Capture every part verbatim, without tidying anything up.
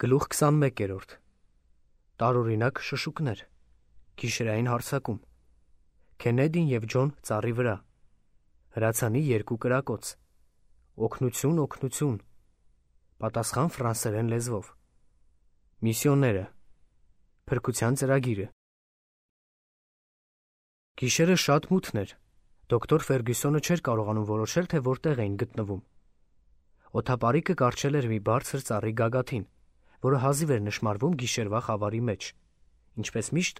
Գլուխ քսանմեկերորդ Տարօրինակ շշուկներ Գիշերային հարձակում Քենեդին և Ջոն ծառի վրա Հրացանի երկու կրակոց Օգնություն, օգնություն Պատասխան ֆրանսերեն լեզվով Միսիոները Փրկության ծրագիրը Գիշերը շատ մութն էր։ Դոկտոր Ֆերգյուսոնը չէր կարողանում որոշել, թե որտեղ էին գտնվում։ Օդապարիկը կառչել էր մի բարձր ծառի գագաթին, որը հազիվ էր նշմարվում գիշերվա խավարի մեջ։ Ինչպես միշտ,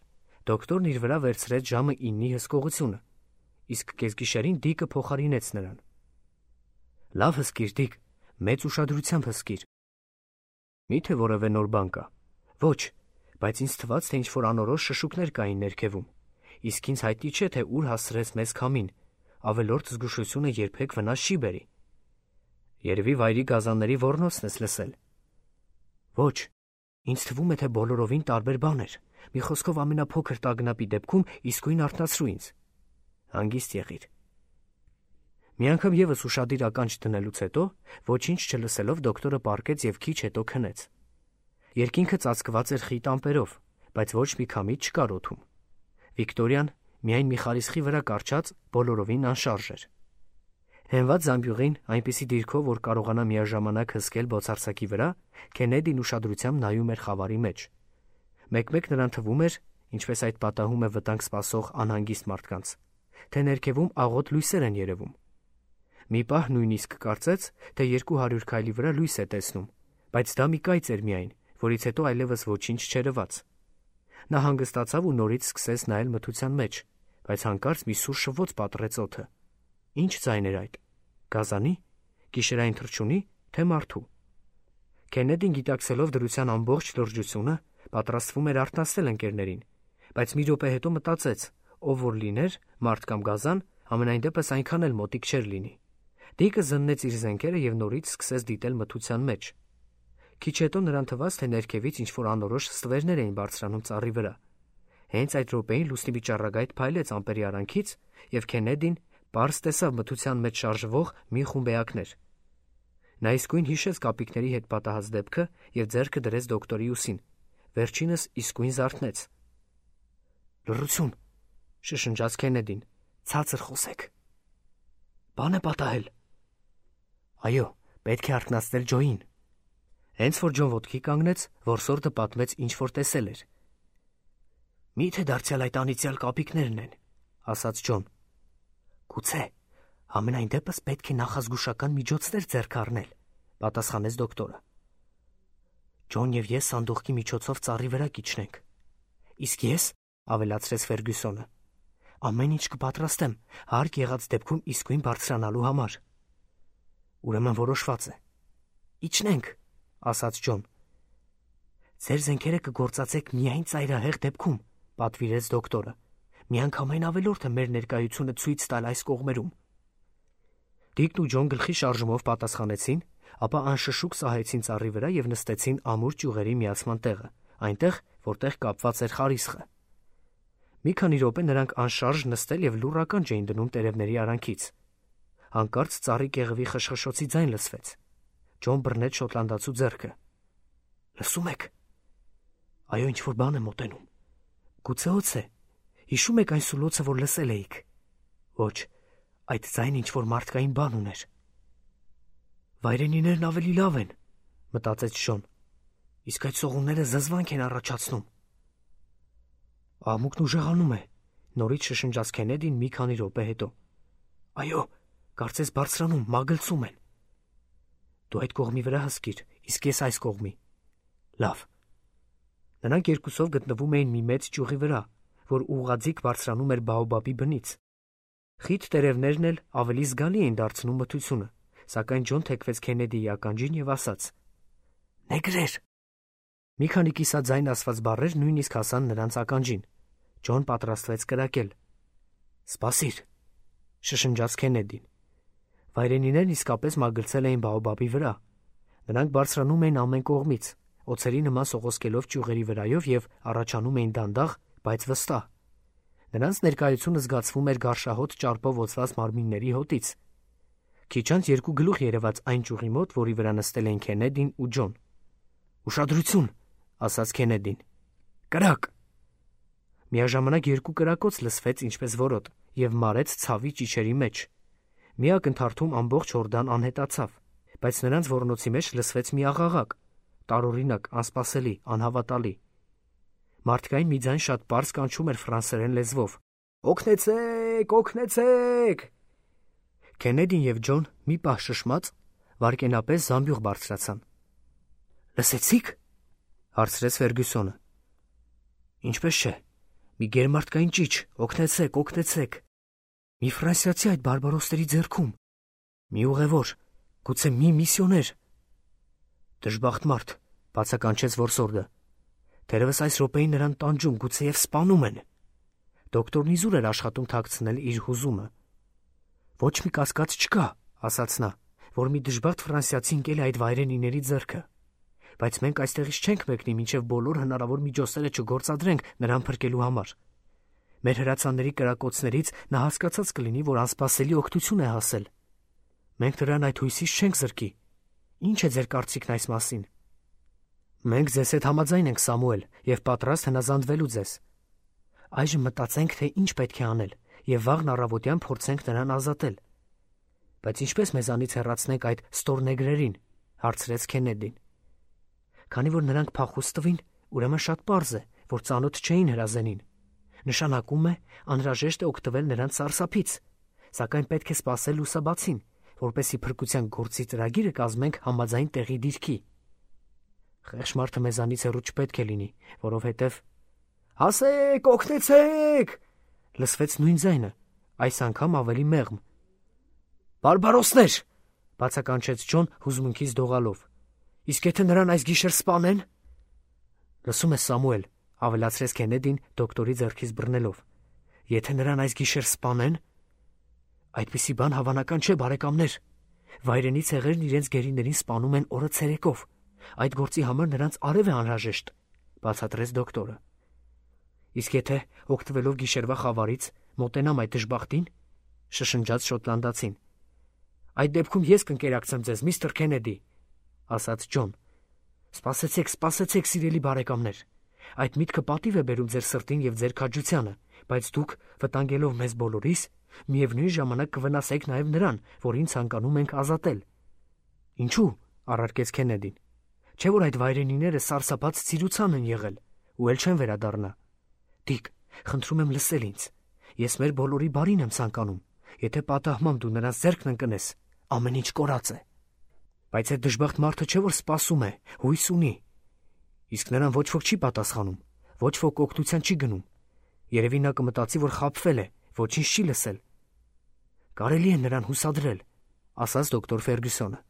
դոկտորն իր վրա վերցրեց ժամը իննի հսկողությունը, իսկ կեսգիշերին Դիկը փոխարինեց նրան։ Լավ հսկիր, Դիկ, մեծ ուշադրությամբ հսկիր։ Մի՞թե որևէ նոր բան կա։ Ոչ, բայց ինձ թվաց, թե ինչ-որ անորոշ շշուկներ կային ներքևում, իսկ ինձ հայտնի չէ, թե ուր հասցրեց մեզ քամին, ավելորդ զգուշությունը երբեք վնաս չի բերի։ Երևի վայրի գազանների ոռնոցն ես լսել։ Ոչ, ինձ թվում է, թե բոլորովին տարբեր բան էր։ Մի խոսքով ամենափոքր տագնապի դեպքում իսկույն արթնացրու ինձ։ Հանգիստ եղիր։ Մի անգամ եւս ուշադիր ականջ դնելուց հետո, ոչինչ չլսելով, դոկտորը պառկեց եւ քիչ հետո քնեց։ Երկինքը ծածկված էր խիտ ամպերով, բայց ոչ մի քամի չկար օդում։ Վիկտորիան միայն մի խարիսխի վրա կառչած բոլորովին անշարժ էր։ Հենված զամբյուղին այնպիսի դիրքով, որ կարողանա միաժամանակ հսկել բոցարձակի վրա, Քենեդին ուշադրությամբ նայում էր խավարի մեջ։ Մեկ-մեկ նրան թվում էր, ինչպես այդ պատահում է վտանգ սպասող անհանգիստ մարդկանց, թե ներքևում աղոտ լույսեր են երևում։ Մի պահ նույնիսկ կարծեց, թե երկու հարյուր քայլի վրա լույս է տեսնում, բայց դա մի կայծ էր միայն, որից հետո այլևս ոչինչ չերևաց։ Նա հանգստացավ ու նորից սկսեց նայել մթության մեջ, բայց հանկարծ մի սուր շվոց պատռեց օդը։ Ինչ ձայն էր այդ։ Գազանի, գիշերային թռչունի, թե մարդու։ Քենեդին գիտակցելով դրության ամբողջ լրջությունը, պատրաստվում էր արթնացնել ընկերներին, բայց մի րոպե հետո մտածեց, ով որ լիներ, մարդ կամ գազան, ամենայն դեպս այնքան էլ մոտիկ չէր լինի։ Դիկը զննեց իր զենքերը եւ նորից սկսեց դիտել մթության մեջ։ Քիչ հետո նրան թվաց, թե ներքևից ինչ-որ անորոշ ստվերներ էին բարձրանում ծառի վրա։ Հենց այդ րոպեին լուսնի միջառագայթ փայլեց ամպերի արանքից, եւ Քենեդին պարզ տեսավ մթության մեջ շարժվող մի խումբ էակներ։ Նա իսկույն հիշեց կապիկների հետ պատահած դեպքը եւ ձեռքը դրեց դոկտորի ուսին։ Վերջինս իսկույն զարթնեց։ Լռություն, շշնջաց Քենեդին, ցածր խոսեք։ Բան է պատահել։ Այո, պետք է արթնացնել Ջոին։ Հենց որ Ջոն ոտքի կանգնեց, որսորդը պատմեց ինչ որ տեսել էր։ Մի՞թե դարձյալ այդ անիծյալ կապիկներն են, ասաց Ջոն։ Գուցե, ամենայն դեպս պետք է նախազգուշական միջոցներ ձեռք առնել, պատասխանեց դոկտորը։ Ջոն եւ ես սանդուղքի միջոցով ծառի վրա կիջնենք։ Իսկ ես, ավելացրեց Ֆերգյուսոնը, ամեն ինչ կպատրաստեմ, հարկ եղած դեպքում իսկույն բարձրանալու համար։ Ուրեմն որոշված է։ Իջնենք, ասաց Ջոն։ Ձեր զենքերը կգործածեք միայն ծայրահեղ դեպքում, պատվիրեց դոկտորը։ Միանգամայն ավելորդ է մեր ներկայությունը ցույց տալ այս կողմերում։ Դիկն ու Ջոն գլխի շարժումով պատասխանեցին, ապա անշշուկ սահեցին ծառի վրա եւ նստեցին ամուր ճյուղերի միացման տեղը, այնտեղ, որտեղ կապված էր խարիսխը։ Մի քանի րոպե նրանք անշարժ նստել եւ լուռ ականջ էին դնում տերևների արանքից։ Հանկարծ ծառի կեղևի խշխշոցի ձայն լսվեց։ Ջոն բռնեց շոտլանդացու ձեռքը։ Լսում եք։ Այո, ինչ որ բան է մոտենում։ Գուցե օձ է։ Հիշում եք այն սուլոցը, որ լսել էիք։ Ոչ, այդ ձայնը ինչ որ մարդկային բան ուներ։ Վայրենիներն ավելի լավ են, մտածեց Ջոն։ Իսկ այդ սողունները զզվանք են առաջացնում։ Աղմուկն ուժեղանում է, նորից շշնջաց Քենեդին մի քանի րոպե հետո։ Այո, կարծես բարձրանում, մագլցում են։ Դու այդ կողմի վրա հսկիր, իսկ ես այս կողմի։ Լավ։ Նրանք երկուսով գտնվում էին մի մեծ ճյուղի վրա, որ ուղղաձիգ բարձրանում էր բաոբաբի բնից։ Խիտ տերևներն էլ ավելի զգալի էին դարձնում մթությունը, սակայն Ջոն թեքվեց Քենեդիի ականջին եւ ասաց. Նեգրեր։ Մի քանի կիսաձայն ասված բառեր նույնիսկ հասան նրանց ականջին։ Ջոն պատրաստվեց կրակել։ Սպասիր, շշնջաց Քենեդին։ Վայրենիներն իսկապես մագլցել էին բաոբաբի վրա։ Նրանք բարձրանում էին ամեն կողմից, օձերի նման սողոսկելով ճյուղերի վրայով եւ առաջանում էին դանդաղ, բայց վստահ։ Նրանց ներկայությունը զգացվում էր գարշահոտ ճարպով օծված մարմինների հոտից։ Քիչ անց երկու գլուխ երևաց այն ճյուղի մոտ, որի վրա նստել էին Քենեդին ու Ջոն։ Ուշադրություն, ասաց Քենեդին։ Կրակ։ Միաժամանակ երկու կրակոց լսվեց ինչպես որոտ եւ մարեց ցավի ճիչերի մեջ։ Մի ակնթարթում ամբողջ Հորդան անհետացավ, բայց նրանց ոռնոցի մեջ լսվեց մի աղաղակ, տարօրինակ, անսպասելի, անհավատալի։ Մարդկային մի ձայն շատ պարզ կանչում էր ֆրանսերեն լեզվով. «Օգնեցեք, օգնեցեք»։ Քենեդին եւ Ջոն մի պահ շշմած վարկենապես զամբյուղ բարձրացան։ «Լսեցի՞ք», հարցրեց Ֆերգյուսոնը։ «Ինչպես չէ, մի գերմարդկային ճիչ, օգնեցեք, օգնեցեք։ Մի ֆրանսիացի այդ բարբարոսների ձեռքում, մի ուղևոր, գուցե մի միսիոներ»։ «Դժբախտ մարդ», բացականչեց որսորդը։ «Թերևս այս րոպեին նրան տանջում, գուցեև սպանում են»։ Դոկտորն իզուր էր աշխատում թաքցնել իր հուզումը։ «Ոչ մի կասկած չկա», ասաց նա, «որ մի դժբախտ ֆրանսիացի ընկել է այդ վայրենիների ձեռքը։ Բայց մենք այստեղից չենք մեկնի, մինչև բոլոր հնարավոր միջոցները չգործադրենք նրան փրկելու համար։ Մեր հրացանների կրակոցներից նա հասկացած կլինի, որ անսպասելի օգնություն է հասել։ Մենք նրան այդ հույսից չենք զրկի։ Ինչ է ձեր կարծիքն այս մասին»։ «Մենք ձեզ հետ համաձայն ենք, Սամուել, եւ պատրաստ հնազանդվելու ձեզ։ Այժմ մտածենք, թե ինչ պետք է անել, եւ վաղն առավոտյան փորձենք նրան ազատել»։ «Բայց ինչպես մեզանից հեռացնենք այդ ստորնեգրերին», հարցրեց Քենեդին։ «Քանի որ նրանք փախուստ տվին, ուրեմն շատ պարզ է, որ ծանոթ չէին հրազենին։ Նշանակում է, անհրաժեշտ է օգտվել նրանց սարսափից, սակայն պետք է սպասել լուսաբացին, որպեսզի փրկության գործի ծրագիրը կազմենք համաձայն տեղի դիրքի։ Խեղճ մարդը մեզանից հեռու չպետք է լինի, որովհետև…» «Հասեք, օգնեցեք», լսվեց նույն ձայնը, այս անգամ ավելի մեղմ։ «Բարբարոսներ», բացականչեց Ջոն հուզմունքից դողալով։ «Իսկ եթե նրան այս գիշեր սպանեն»։ «Լսում ես, Սամուել», ավելացրեց Քենեդին դոկտորի ձեռքից բռնելով։ «Եթե նրան այս գիշեր սպանեն»։ «Այդպիսի բան հավանական չէ, բարեկամներ։ Վայրենի ցեղերն իրենց գերիներին սպանում են օրը ցերեկով։ Այդ գործի համար նրանց արև է անհրաժեշտ», բացատրեց դոկտորը։ «Իսկ եթե, օգտվելով գիշերվա խավարից, մոտենամ այդ դժբախտին», շշնջաց շոտլանդացին։ «Այդ դեպքում ես կընկերակցեմ ձեզ, միստր Քենեդի», ասաց Ջոն։ «Սպասեցեք, սպասեցեք, սիրելի բարեկամներ։ Այդ միտքը պատիվ է բերում ձեր սրտին եւ ձեր քաջությանը, բայց դուք, վտանգելով մեզ բոլորիս, միևնույն ժամանակ կվնասեք նաեւ նրան, որին ցանկանում ենք ազատել»։ «Ինչու՞, առարկեց Քենեդին։ «Չէ՞ որ այդ վայրենիները սարսափած ցիրուցան են եղել, ու էլ չեն վերադառնա։ Դիկ, խնդրում եմ լսել ինձ։ Ես մեր բոլորի բարին եմ ցանկանում։ Եթե պատահմամբ դու նրանց ձեռքն ընկնես, ամեն ինչ կորած է։ Բայց այդ դժբախտ մարդը չէ՞ որ սպասում է, հույս ունի։ Իսկ նրան ոչ ոք չի պատասխանում, ոչ ոք օգնության չի գնում։ Երևի նա կմտածի, որ խաբվել է, ոչինչ չի լսել։ Կարելի է նրան հուսադրել», ասաց դոկտոր Ֆերգյուսոնը։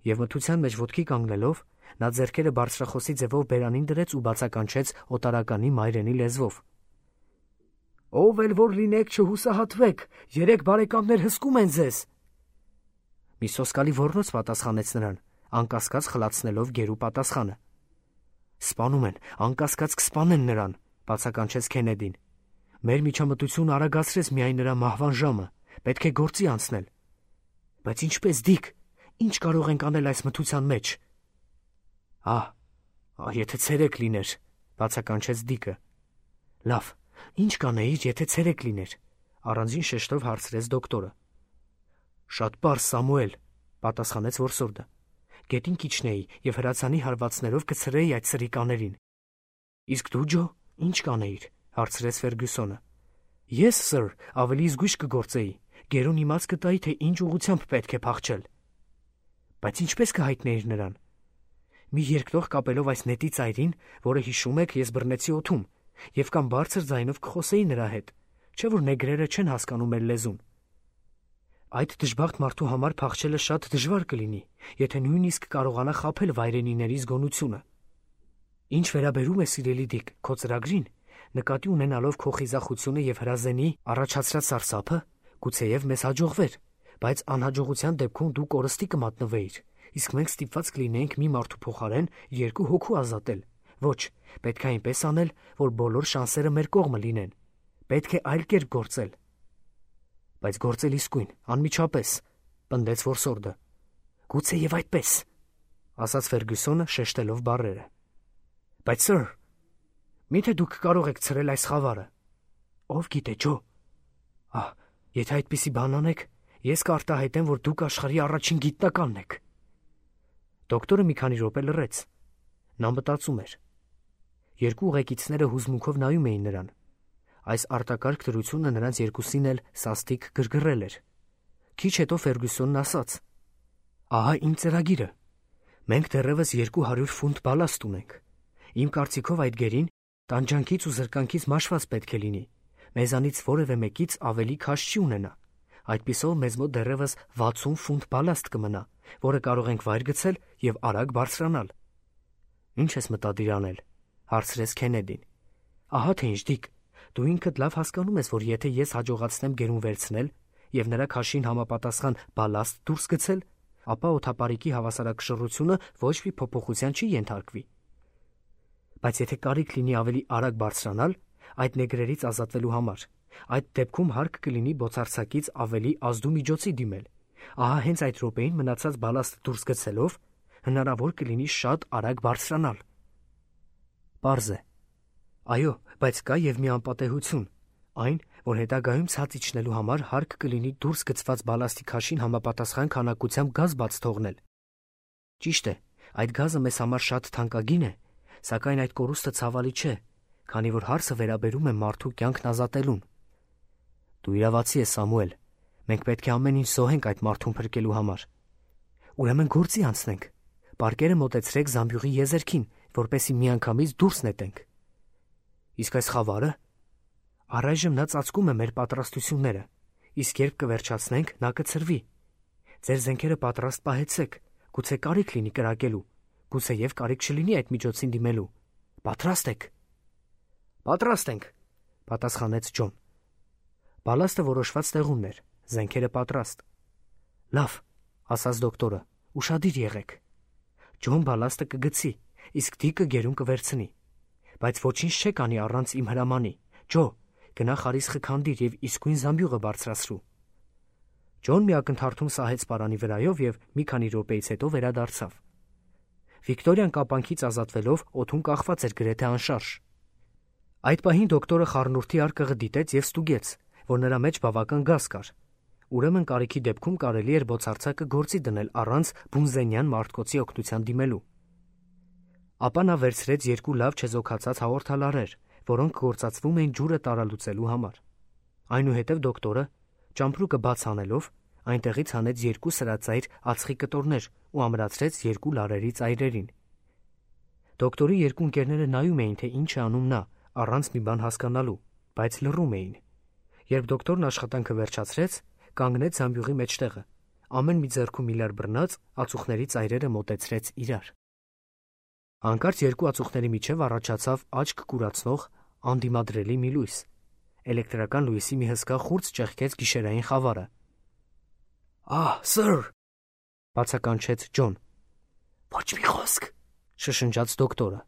Եվ մթության մեջ ոտքի կանգնելով, նա ձեռքերը բարձրախոսի ձևով բերանին դրեց ու բացականչեց օտարականի մայրենի լեզվով. «Ով էլ որ լինեք, չհուսահատվեք, երեք բարեկամներ հսկում են ձեզ»։ Մի սոսկալի ոռնոց պատասխանեց նրան, անկասկած խլացնելով գերու պատասխանը։ «Սպանում են, անկասկած կսպանեն նրան», բացականչեց Քենեդին։ «Մեր միջամտությունը արագացրեց միայն նրա մահվան ժամը, պետք է գործի անցնել»։ «Բայց ինչպես, Դիկ, ինչ կարող ենք անել այս մթության մեջ»։ «Ահ, եթե ցերեկ լիներ», բացականչեց Դիկը։ «Լավ, ինչ կանեիր, եթե ցերեկ լիներ», առանձին շեշտով հարցրեց դոկտորը։ «Շատ պարզ, Սամուել», պատասխանեց որսորդը։ «Գետին կիջնեի եւ հրացանի հարվածներով կցրեի այդ սրիկաներին»։ «Իսկ դու, Ջո, ինչ կանեիր», հարցրեց Ֆերգյուսոնը։ «Ես, սըր, ավելի զգույշ կգործեի, գերուն իմաց կտայի, թե ինչ ուղղությամբ պետք է փախչել»։ «Բայց ինչպես կհայտնեիր նրան»։ «Մի երկտող կապելով այս նետի ծայրին, որը հիշում եք, ես բռնեցի օդում, եւ կամ բարձր ձայնով կխոսեի նրա հետ, չէ՞ որ նեգրերը չեն հասկանում մեր լեզուն։ Այդ դժբախտ մարդու համար փախչելը շատ դժվար կլինի, եթե նույնիսկ կարողանա խաբել վայրենիների զգոնությունը։ Ինչ վերաբերում է, սիրելի Դիկ, քո ծրագրին, նկատի ունենալով քո խիզախությունը եւ հրազենի առաջացրած սարսափը, գուցեև մեզ հաջողվեր, բայց անհաջողության դեպքում դու կորստի կմատնվեիր, իսկ մենք ստիպված կլինեինք մի մարդու փոխարեն երկու հոգու ազատել։ Ոչ, պետք է այնպես անել, որ բոլոր շանսերը մեր կողմը լինեն։ Պետք է այլ կերպ գործել։ Բայց գործել իսկույն, անմիջապես, պնդեց որսորդը։ Գուցե եւ այդպես։ ասաց Ֆերգյուսոնը շեշտելով բառերը։ Բայց սըր, միթե դուք կարող եք ցրել այս խավարը։ Ով գիտե, Ջո։ Ահ, եթե այդպիսի բան անեք, ես կարտահայտեմ, որ դուք աշխարհի առաջին գիտնականն եք։ Դոկտորը մի քանի րոպե լռեց։ Նա մտածում էր։ Երկու ուղեկիցները հուզմունքով նայում էին նրան։ Այս արտակարգ դրությունը նրանց երկուսին էլ սաստիկ գրգռել էր։ Քիչ հետո Ֆերգյուսոնն ասաց. Ահա իմ ծրագիրը։ Մենք դեռևս երկու հարյուր ֆունտ բալաստ ունենք։ Իմ կարծիքով այդ գերին տանջանքից ու զրկանքից մաշված պետք է լինի։ Մեզանից որևէ մեկից ավելի քաշ չի ունենա։ Այդպիսով մեզ մոտ դեռևս վաթսուն ֆունտ բալաստ կմնա, որը կարող ենք վայր գցել եւ արագ բարձրանալ։ Ինչ ես մտադիր անել, հարցրեց Քենեդին։ Ահա թե ինչ, Դիկ, դու ինքդ լավ հասկանում ես, որ եթե ես հաջողացնեմ գերուն վերցնել եւ նրա քաշին համապատասխան բալաստ դուրս գցել, ապա օդապարիկի հավասարակշռությունը ոչ մի փոփոխության չի ենթարկվի։ Բայց եթե կարիք լինի ավելի արագ բարձրանալ, այդ նեգրերից ազատվելու համար, այդ դեպքում հարկ կլինի բոցարձակից ավելի ազդու միջոցի դիմել։ Ահա հենց այդ րոպեին մնացած բալաստը դուրս գցելով հնարավոր կլինի շատ արագ բարձրանալ։ Պարզ է։ Այո, բայց կա եւ մի անպատեհություն, այն, որ հետագայում ցած իջնելու համար հարկ կլինի դուրս գցված բալաստի քաշին համապատասխան քանակությամբ գազ բաց թողնել։ Ճիշտ է, այդ գազը մեզ համար շատ թանկագին է, սակայն այդ կորուստը ցավալի չէ, քանի որ հարցը վերաբերում է մարդու կյանքն ազատելուն։ Դու իրավացի ես, Սամուել, մենք պետք է ամեն ինչ զոհենք այդ մարդուն փրկելու համար։ Ուրեմն գործի անցնենք։ Պարկերը մոտեցրեք Զամբյուղի եզերքին, որպեսզի միանգամից դուրս նետենք։ Իսկ այս խավարը։ Առայժմ նա ծածկում է մեր պատրաստությունները, իսկ երբ կվերջացնենք, նա կցրվի։ Ձեր զենքերը պատրաստ պահեցեք, գուցե կարիք լինի կրակելու, գուցե եւ կարիք չլինի այդ միջոցին դիմելու։ Պատրաստ եք։ Պատրաստ ենք, պատասխանեց Ջոն։ Բալաստը որոշված տեղումն էր, զենքերը պատրաստ։ Լավ, ասաց դոկտորը, ուշադիր եղեք։ Ջոն բալաստը կգցի, իսկ Դիկը գերուն կվերցնի։ Բայց ոչինչ չեք անի առանց իմ հրամանի։ Ջո, գնա խարիսխը քանդիր եւ իսկույն Զամբյուղը բարձրացրու։ Ջոն մի ակնթարթում սահեց պարանի վրայով եւ մի քանի րոպեից հետո վերադարձավ։ Վիկտորիան կապանքից ազատվելով օդում կախված էր գրեթե անշարժ։ Այդ պահին դոկտորը խառնուրդի արկղը դիտեց եւ ստուգեց, որ նրա մեջ բավական գազ կար։ Ուրեմն կարիքի դեպքում կարելի էր բոցարձակը գործի դնել առանց բունզենյան մարտկոցի օգնության դիմելու։ Ապա նա վերցրեց երկու լավ չեզոքացած հաղորդալարեր, որոնք գործածվում էին ջուրը տարալուծելու համար։ Այնուհետև դոկտորը, ճամպրուկը բաց անելով, այնտեղից հանեց երկու սրածայր ածխի կտորներ ու ամրացրեց երկու լարերի ծայրերին։ Դոկտորի երկու ընկերները նայում էին, թե ինչ է անում նա, առանց մի բան հասկանալու, բայց լռում էին։ Երբ դոկտորն աշխատանքը վերջացրեց, կանգնեց Զամբյուղի մեջտեղը, ամեն մի ձեռքում մի լար բռնած, ածուխների ծայրերը մոտեցրեց իրար։ Հանկարծ երկու ածուխների միջև առաջացավ աչք կուրացնող, անդիմադրելի մի լույս։ Էլեկտրական լույսի մի հսկա խուրձ ճեղքեց գիշերային խավարը։ Ահ, սըր, բացականչեց Ջոն։ Ոչ մի խոսք, շշնջաց դոկտորը։